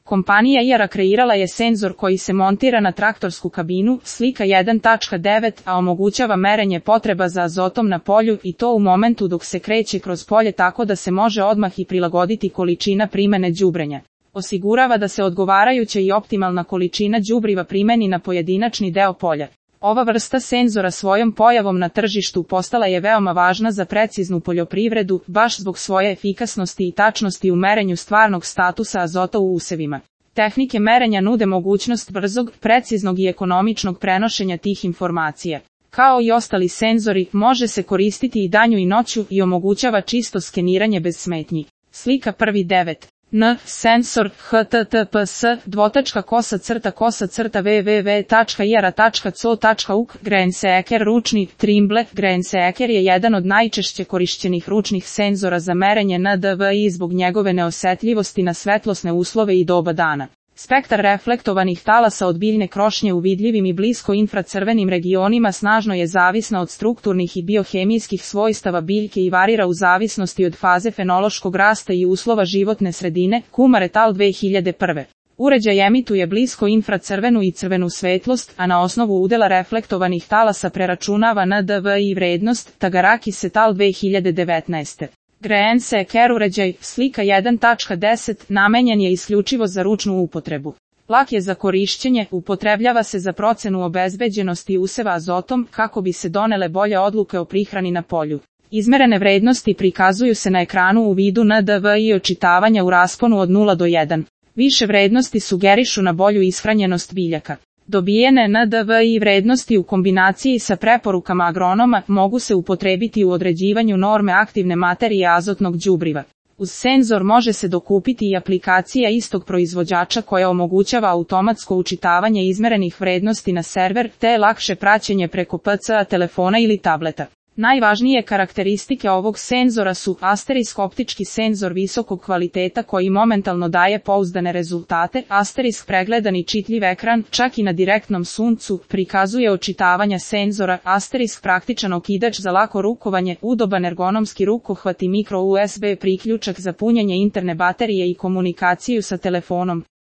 Kompanija IARA kreirala je senzor koji se montira na traktorsku kabinu, slika 1.9, a omogućava merenje potreba za azotom na polju i to u momentu dok se kreće kroz polje tako da se može odmah i prilagoditi količina primene đubrenja. Osigurava da se odgovarajuća i optimalna količina đubriva primeni na pojedinačni deo polja. Ova vrsta senzora svojom pojavom na tržištu postala je veoma važna za preciznu poljoprivredu, baš zbog svoje efikasnosti i tačnosti u merenju stvarnog statusa azota u usevima. Tehnike merenja nude mogućnost brzog, preciznog i ekonomičnog prenošenja tih informacija. Kao i ostali senzori, može se koristiti i danju i noću i omogućava čisto skeniranje bez smetnji. Slika 1.9. Sensor https://www.iara.co.uk Grainseeker ručni Trimble. Grainseeker je jedan od najčešće korišćenih ručnih senzora za merenje NDVI zbog njegove neosetljivosti na svetlosne uslove i doba dana. Spektar reflektovanih talasa od biljne krošnje u vidljivim i blisko infracrvenim regionima snažno je zavisna od strukturnih i biohemijskih svojstava biljke i varira u zavisnosti od faze fenološkog rasta i uslova životne sredine. Kumar et al. 2001. Uređaj emituje blisko infracrvenu i crvenu svetlost, a na osnovu udela reflektovanih talasa preračunava NDVI vrednost. Tagarakis et al. 2019. Grainseeker uređaj, slika 1.10, namenjen je isključivo za ručnu upotrebu. Lak je za korišćenje, upotrebljava se za procenu obezbeđenosti useva azotom kako bi se donele bolje odluke o prihrani na polju. Izmerene vrednosti prikazuju se na ekranu u vidu NDVI očitavanja u rasponu od 0 do 1. Više vrednosti sugerišu na bolju ishranjenost biljaka. Dobijene NDVI vrednosti u kombinaciji sa preporukama agronoma mogu se upotrebiti u određivanju norme aktivne materije azotnog đubriva. Uz senzor može se dokupiti i aplikacija istog proizvođača koja omogućava automatsko učitavanje izmerenih vrednosti na server te lakše praćenje preko PC-a, telefona ili tableta. Najvažnije karakteristike ovog senzora su asterisk optički senzor visokog kvaliteta koji momentalno daje pouzdane rezultate, asterisk pregledan i čitljiv ekran, čak i na direktnom suncu, prikazuje očitavanja senzora, asterisk praktičan okidač za lako rukovanje, udoban ergonomski rukohvat i mikro USB priključak za punjenje interne baterije i komunikaciju sa telefonom.